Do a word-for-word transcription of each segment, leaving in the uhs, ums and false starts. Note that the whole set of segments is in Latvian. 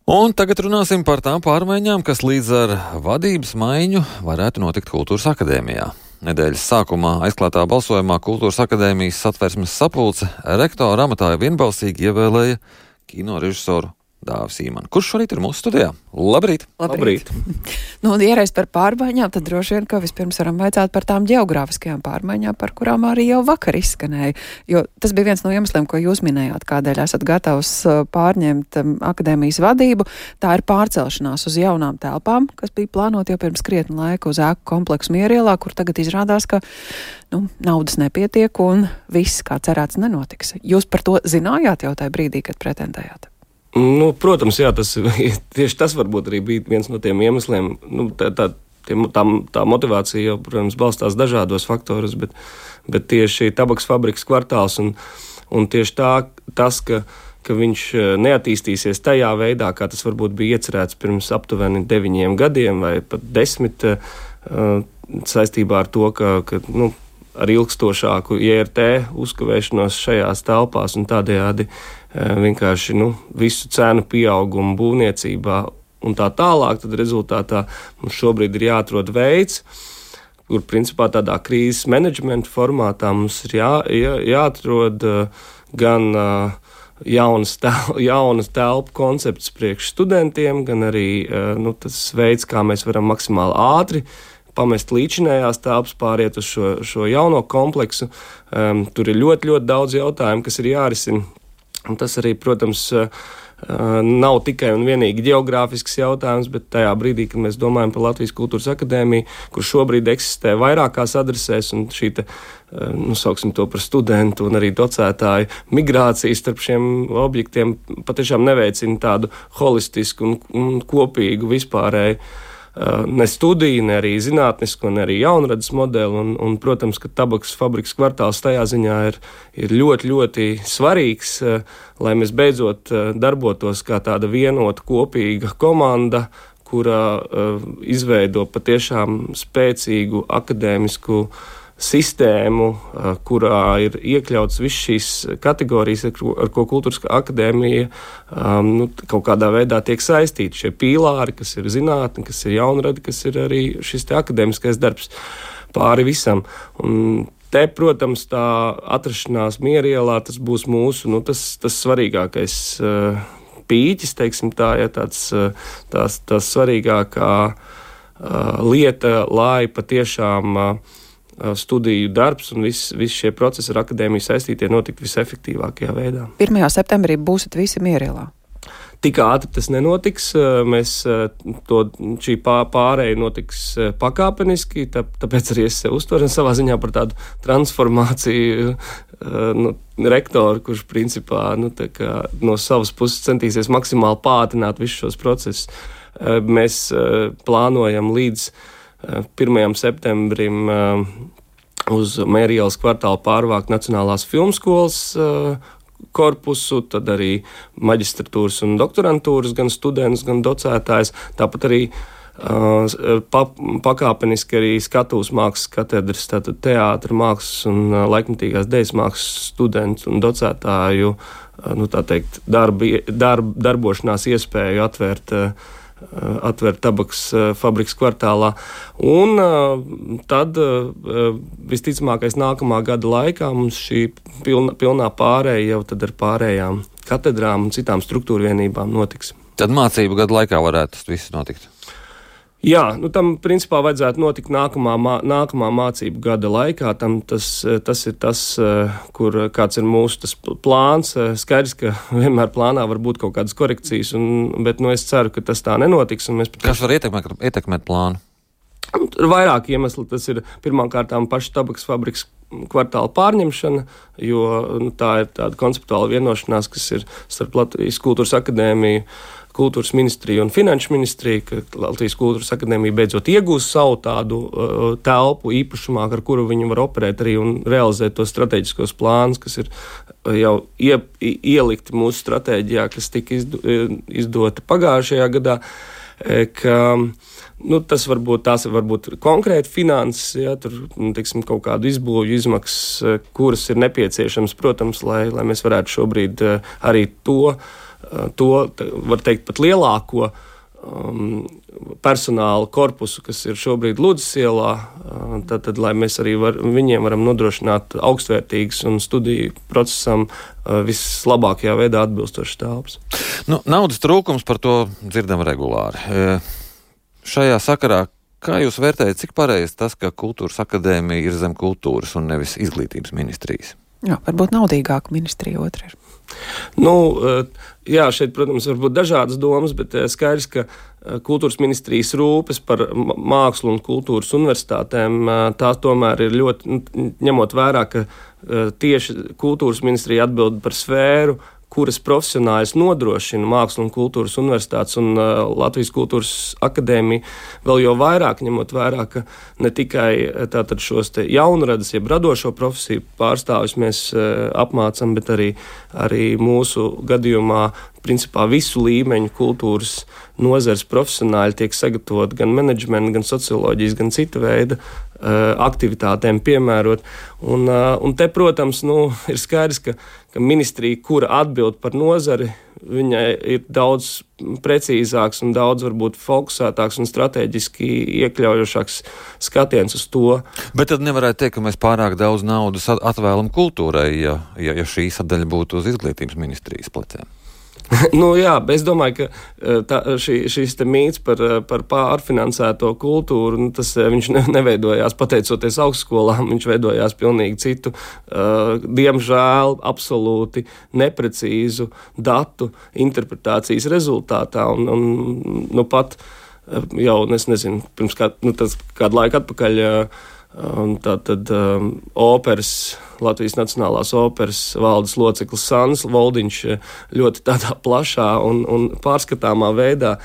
Un tagad runāsim par tām pārmaiņām, kas līdz ar vadības maiņu varētu notikt Kultūras akadēmijā. Nedēļas sākumā aizklātā balsojumā Kultūras akadēmijas satversmes sapulce rektora amatā vienbalsīgi ievēlēja kino režisoru Dāvi Sīmanu, kurš šorīt ir mūsu studijā. Labrīt! Labrīt! Nu, un iereiz par pārmaiņām, tad droši vien, ka vispirms varam vaicāt par tām ģeogrāfiskajām pārmaiņām, par kurām arī jau vakar izskanēja. Jo tas bija viens no iemesliem, ko jūs minējāt, kādēļ esat gatavs pārņemt akadēmijas vadību. Tā ir pārcelšanās uz jaunām telpām, kas bija plānot jau pirms krietni laika uz ēku kompleksu Mierielā, kur tagad izrādās, ka nu, naudas nepietiek un viss, kā cerēts, nenotiks. Jūs par to zinājāt jau tajā brīdī, kad pretendējāt? Nu, protams, jā, tas, tieši tas varbūt arī bija viens no tiem iemesliem. Nu, tā, tā, tā, tā motivācija jau, protams, balstās dažādos faktorus, bet, bet tieši tabaks fabrikas kvartāls un, un tieši tā, tas, ka, ka viņš neattīstīsies tajā veidā, kā tas varbūt bija iecerēts pirms aptuveni deviņiem gadiem vai pat desmit, saistībā ar to, ka, ka nu, ar ilgstošāku I R T uzkavēšanos šajās telpās un tādējādi vienkārši nu, visu cenu pieaugumu būvniecībā un tā tālāk, tad rezultātā mums šobrīd ir jāatrod veids, kur principā tādā krīzes menedžmenta formātā mums ir jā, jā, jāatrod gan jaunas, tel, jaunas telpu koncepts priekš studentiem, gan arī nu, tas veids, kā mēs varam maksimāli ātri pamest līdzinējās telpas, pāriet uz šo, šo jauno kompleksu. Um, tur ir ļoti, ļoti daudz jautājumu, kas ir jārisina. Un tas arī, protams, nav tikai un vienīgi ģeogrāfisks jautājums, bet tajā brīdī, kad mēs domājam par Latvijas Kultūras akadēmiju, kur šobrīd eksistē vairākās adresēs, un šī te, nu, sauksim to par studentu un arī docētāju migrācijas starp šiem objektiem patiešām neveicina tādu holistisku un, un kopīgu vispārēju ne studiju, ne arī zinātnisku, ne arī jaunradas modeli, un, un, protams, ka tabaks fabrikas kvartāls tajā ziņā ir, ir ļoti, ļoti svarīgs, lai mēs beidzot darbotos kā tāda vienota kopīga komanda, kurā izveido patiešām spēcīgu akadēmisku sistēmu, kurā ir iekļauts viss šīs kategorijas, ar ko, ar ko Kultūras akadēmija um, nu, kaut kādā veidā tiek saistīti. Šie pīlāri, kas ir zinātne, kas ir jaunrada, kas ir arī šis te akadēmiskais darbs pāri visam. Un te, protams, tā atrašanās Mierielā, tas būs mūsu, nu, tas, tas svarīgākais uh, pīķis, teiksim tā, ja tāds, uh, tās, tās svarīgākā uh, lieta, lai patiešām uh, studiju darbs un viss vis šie procesi ar akadēmiju saistītie notikt visefektīvākajā veidā. pirmajā septembrī būsit visi Mierielā? Tik ātri tas nenotiks. Mēs to, šī pārēja notiks pakāpeniski, tā, tāpēc arī es uztveru savā ziņā par tādu transformāciju nu, rektoru, kurš principā nu, tā kā, no savas puses centīsies maksimāli pātrināt visus šos procesus. Mēs plānojam līdz pirmajam septembrim uz Mērielas kvartālu pārvākt Nacionālās filmskolas korpusu, tad arī maģistratūras un doktorantūras, gan students, gan docētājs, tāpat arī pa, pakāpeniski arī skatuves mākslas katedras, tātad teātra mākslas un laikmetīgās dejas mākslas studentu un docētāju, nu tā teikt, darbi, darb, darbošanās iespēju atvērt atvērt tabaks fabrikas kvartālā. Un tad visticamākais nākamā gada laikā mums šī pilna, pilnā pārēja jau tad ar pārējām katedrām un citām struktūra vienībām notiks. Tad mācību gada laikā varētu tas viss notikt? Jā, nu tam principā vajadzētu notikt nākamā, nākamā mācību gada laikā. Tam tas, tas ir tas, kur kāds ir mūsu tas plāns. Skaidrs, ka vienmēr plānā var būt kaut kādas korekcijas, un, bet nu, es ceru, ka tas tā nenotiks. Un mēs pat... Kas var ietekmēt, ietekmēt plānu? Ir vairāk iemesli. Tas ir pirmkārtām paša tabaks fabrikas kvartāla pārņemšana, jo nu, tā ir tāda konceptuāla vienošanās, kas ir starp Latvijas Kultūras akadēmiju, Kultūras ministriju un Finanšu ministriju, ka Latvijas Kultūras akadēmija beidzot iegūs savu tādu uh, telpu īpašumā, ar kuru viņi var operēt arī un realizēt tos strateģiskos plānus, kas ir uh, jau ie, ielikti mūsu stratēģijā, kas tika izdo, izdota pagājušajā gadā, ka nu, tas varbūt tās ir varbūt konkrēti finanses, ja, tur, nu, teiksim, kaut kādu izbūvju izmaksas, kuras ir nepieciešams, protams, lai, lai mēs varētu šobrīd arī to to, var teikt, pat lielāko um, personāla korpusu, kas ir šobrīd Ludzas ielā, uh, tad, tad, lai mēs arī var, viņiem varam nodrošināt augstvērtīgas un studiju procesam uh, vislabākajā veidā atbilstošas telpas. Nu, naudas trūkums, par to dzirdam regulāri. E, šajā sakarā, kā jūs vērtējat, cik pareizi tas, ka Kultūras akadēmija ir zem kultūras un nevis izglītības ministrijas? Jā, varbūt naudīgāka ministrija otra ir. Nu, jā, šeit, protams, var būt dažādas domas, bet skaidrs, ka Kultūras ministrijas rūpes par mākslu un kultūras universitātēm, tā tomēr ir ļoti, ņemot vērā, ka tieši Kultūras ministrija atbild par sfēru, kuras profesionāļus nodrošina Mākslas un kultūras universitātes un uh, Latvijas Kultūras akadēmija, vēl jau vairāk ņemot vērā, ka ne tikai tātad šos te jaunradas, jeb radošo profesiju pārstāvjus mēs uh, apmācam, bet arī, arī mūsu gadījumā principā visu līmeņu kultūras nozares profesionāļi tiek sagatavot gan menedžmenta, gan socioloģijas, gan cita veida uh, aktivitātēm piemērot. Un, uh, un te, protams, nu, ir skaidrs, ka, ka ministrija, kura atbild par nozari, viņai ir daudz precīzāks un daudz varbūt fokusētāks un strateģiski iekļaujošāks skatiens uz to. Bet tad nevarētu teikt, ka mēs pārāk daudz naudas atvēlam kultūrai, ja, ja, ja šī sadaļa būtu uz izglītības ministrijas pleciem. Nu, jā, es domāju, ka tā, šī, šis te mīts par, par pārfinansēto kultūru, nu, tas viņš neveidojās pateicoties augstskolām, viņš veidojās pilnīgi citu, uh, diemžēl absolūti neprecīzu datu interpretācijas rezultātā. Un, un, nu, pat jau, es nezinu, pirms kā, nu, tas, kādu laiku atpakaļ uh, tā tad um, operas, Latvijas Nacionālās operas valdes loceklis Sānis Voldiņš ļoti tādā plašā un, un pārskatāmā veidā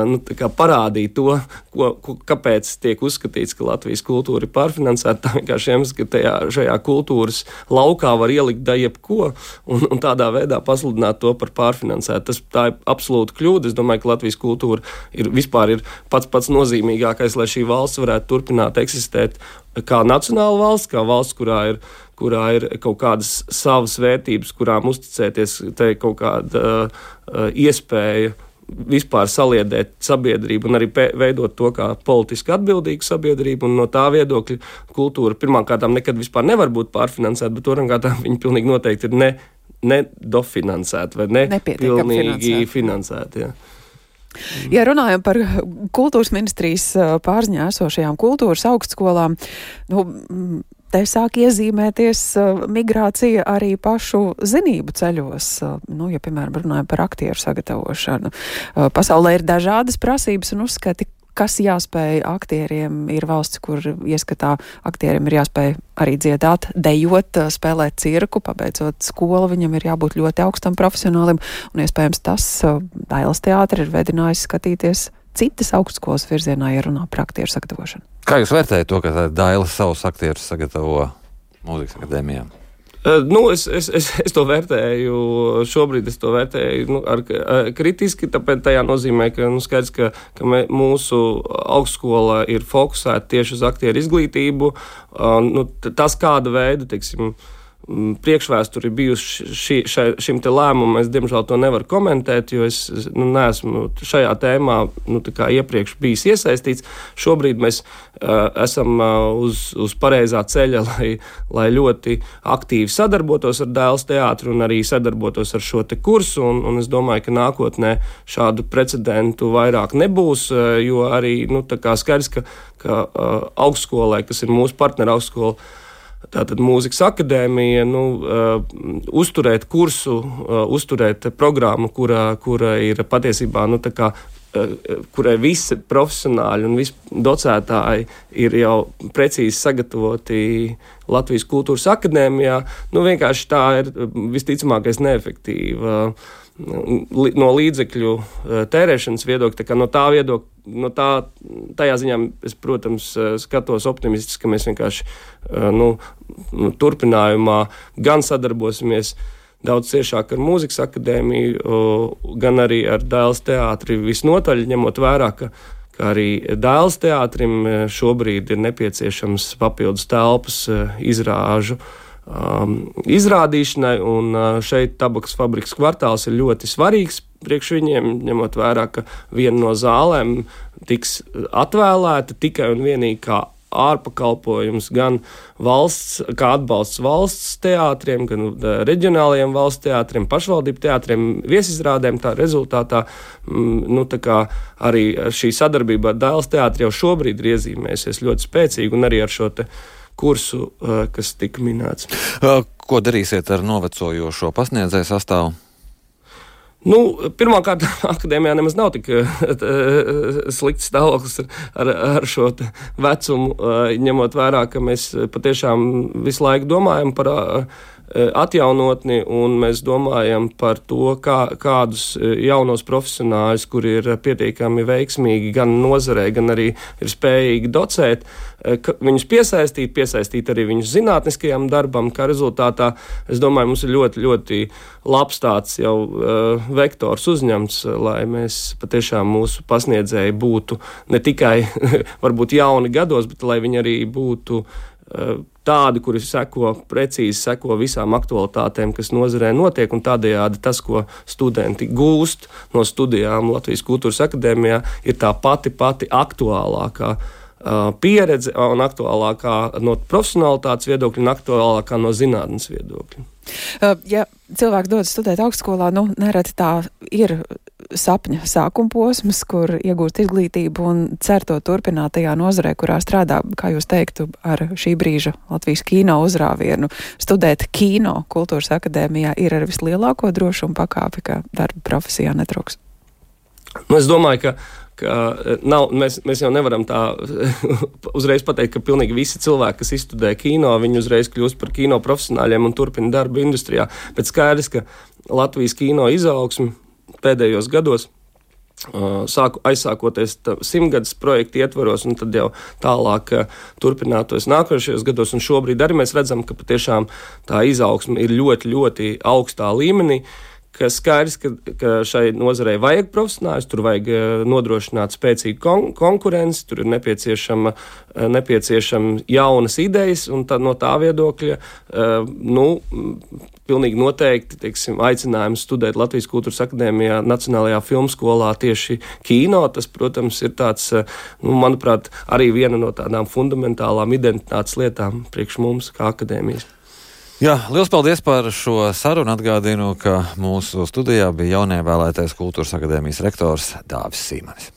nu, parādīja to, ko, ko, kāpēc tiek uzskatīts, ka Latvijas kultūra ir pārfinansēta. Tā vienkārši iemesls, ka tajā, šajā kultūras laukā var ielikt da jebko un, un tādā veidā pasludināt to par pārfinansētu. Tas, tā ir absolūta kļūda. Es domāju, ka Latvijas kultūra ir vispār ir pats pats nozīmīgākais, lai šī valsts varētu turpināt eksistēt kā nacionāla valsts, kā valsts, kurā ir kurā ir kaut kādas savas vērtības, kurām uzticēties, te ir kaut kāda uh, iespēja vispār saliedēt sabiedrību un arī pē, veidot to kā politiski atbildīgu sabiedrību, un no tā viedokļa kultūra pirmkārtām nekad vispār nevar būt pārfinansēta, bet otrkārtām viņa pilnīgi noteikti ir ne, nedofinansēta vai ne pilnīgi finansēta. Jā. Ja runājam par kultūras ministrijas pārziņā esošajām kultūras augstskolām, nu, te sāk iezīmēties uh, migrācija arī pašu zinību ceļos. Uh, nu, ja, piemēram, runājam par aktieru sagatavošanu. Uh, pasaulē ir dažādas prasības un uzskati, kas jāspēj aktieriem. Ir valsts, kur ieskatā aktieriem ir jāspēj arī dziedāt, dejot, spēlēt cirku, pabeidzot skolu, viņam ir jābūt ļoti augstam profesionālim, un iespējams tas uh, Dailes teātri ir vedinājis skatīties citas augstskolas virzienā, ja runā par aktieru sagatavošanu. Kā jūs vērtējat to, ka Dailes savus aktierus sagatavo mūzikas akadēmijām? Uh, nu, es, es, es, es to vērtēju, šobrīd es to vērtēju nu, ar, ar, kritiski, tāpēc tajā nozīmē, ka nu, skaidrs, ka, ka mē, mūsu augstskola ir fokusēta tieši uz aktieru izglītību. Uh, nu, tas kāda veida, teiksim, priekšvēsturi bijusi ši, šai, šim te lēmumam, es diemžēl to nevaru komentēt, jo es nu, neesmu šajā tēmā nu, tā kā iepriekš bijis iesaistīts. Šobrīd mēs uh, esam uh, uz, uz pareizā ceļa, lai, lai ļoti aktīvi sadarbotos ar Dailes teātri un arī sadarbotos ar šo te kursu, un, un es domāju, ka nākotnē šādu precedentu vairāk nebūs, uh, jo arī nu, tā kā skaidrs, ka, ka uh, augstskolai, kas ir mūsu partneri augstskola, tātad mūzikas akadēmija, nu, uh, uzturēt kursu, uh, uzturēt programmu, kura, kura ir patiesībā, nu, tā kā, uh, kurai visi profesionāļi un visi docētāji ir jau precīzi sagatavoti Latvijas Kultūras akadēmijā, nu, vienkārši tā ir visticamākais neefektīva. No līdzekļu tērēšanas viedokļa, tā kā no tā viedokļa, no tā, tajā ziņā es, protams, skatos optimistiski, ka mēs vienkārši nu, turpinājumā gan sadarbosimies daudz ciešāk ar mūzikas akadēmiju, gan arī ar Dailes teātri visnotaļ, ņemot vērā, ka, ka arī Dailes teātrim šobrīd ir nepieciešams papildus telpas izrāžu um, izrādīšanai, un uh, šeit tabakas fabrikas kvartāls ir ļoti svarīgs priekš viņiem, ņemot vērā, ka viena no zālēm tiks atvēlēta tikai un vienīgi kā ārpakalpojums gan valsts, kā atbalsts valsts teātriem, gan reģionālajiem valsts teātriem, pašvaldību teātriem, viesizrādēm. Tā rezultātā nu, tā kā arī šī sadarbība ar Dailes teātri jau šobrīd ir iezīmējusies ļoti spēcīgi, un arī ar šo te kursu, kas tika minēts. Ko darīsiet ar novecojošo pasniedzēju sastāvu? Nu, pirmkārt, akadēmijā nemaz nav tik slikts stāvoklis ar, ar, ar šo vecumu, ņemot vērā, ka mēs patiešām visu laiku domājam par atjaunotni, un mēs domājam par to, kā, kādus jaunos profesionāļus, kuri ir pietiekami veiksmīgi gan nozarē, gan arī ir spējīgi docēt, viņus piesaistīt, piesaistīt arī viņus zinātniskajam darbam, kā rezultātā, es domāju, mums ir ļoti, ļoti labs tāds jau uh, vektors uzņemts, lai mēs patiešām mūsu pasniedzēji būtu ne tikai varbūt jauni gados, bet lai viņi arī būtu uh, tādi, kuri seko, precīzi seko visām aktualitātēm, kas nozarē notiek, un tādējādi tas, ko studenti gūst no studijām Latvijas Kultūras akadēmijā, ir tā pati, pati aktuālākā uh, pieredze un aktuālākā no profesionalitātes viedokļa un aktuālākā no zinātnes viedokļa. Uh, ja cilvēks dodas studēt augstskolā, nu, nereti tā ir sapņa sākuma posms, kur iegūst izglītību un cer to turpināt tajā nozarē, kurā strādā, kā jūs teiktu, ar šī brīža Latvijas kino uzrāvienu. Studēt kino Kultūras akadēmijā ir ar vislielāko drošumu pakāpi, ka darba profesijā netrūks. Nu, es domāju, ka ka nav, mēs, mēs jau nevaram tā uzreiz pateikt, ka pilnīgi visi cilvēki, kas izstudē kino, viņi uzreiz kļūst par kino profesionāļiem un turpina darbu industrijā. Bet skaidrs, ka Latvijas kino izaugsme pēdējos gados, sāku, aizsākoties simtgadus projektu ietvaros, un tad jau tālāk turpinātos nākošajos gados, un šobrīd arī mēs redzam, ka patiešām tā izaugsme ir ļoti, ļoti augstā līmenī, ka skaidrs, ka, ka šai nozarei vajag profesionāļus, tur vajag nodrošināt spēcīgu kon- konkurenci, tur ir nepieciešama, nepieciešama jaunas idejas, un tad no tā viedokļa, nu, pilnīgi noteikti, teiksim, aicinājums studēt Latvijas Kultūras akadēmijā Nacionālajā filmskolā tieši kino, tas, protams, ir tāds, nu, manuprāt, arī viena no tādām fundamentālām identitātes lietām priekš mums kā akadēmijas. Jā, liels paldies par šo sarunu. Atgādinu, ka mūsu studijā bija jaunievēlētais Kultūras akadēmijas rektors Dāvis Sīmanis.